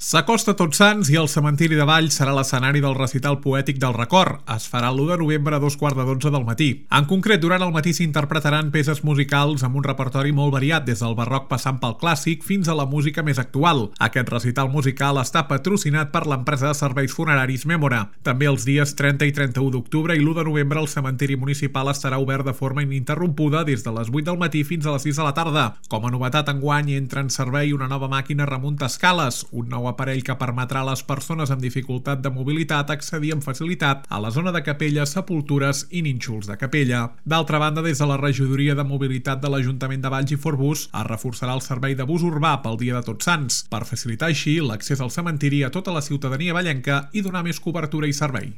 S'acosta Tots Sants i el cementiri de Valls serà l'escenari del recital poètic del record. Es farà l'1 de novembre a 2:15 del matí. En concret, durant el matí s'interpretaran peces musicals amb un repertori molt variat, des del barroc passant pel clàssic fins a la música més actual. Aquest recital musical està patrocinat per l'empresa de serveis funeraris Mémora. També els dies 30 i 31 d'octubre i l'1 de novembre el cementiri municipal estarà obert de forma ininterrompuda des de les 8 del matí fins a les 6 de la tarda. Com a novetat, enguany entra en servei una nova màquina remunta escales, un nou aparell que permetrà a les persones amb dificultat de mobilitat accedir amb facilitat a la zona de capelles, sepultures i nínxols de capella. D'altra banda, des de la regidoria de mobilitat de l'Ajuntament de Valls i Forbús es reforçarà el servei de bus urbà pel dia de Tots Sants, per facilitar així l'accés al cementiri a tota la ciutadania vallenca i donar més cobertura i servei.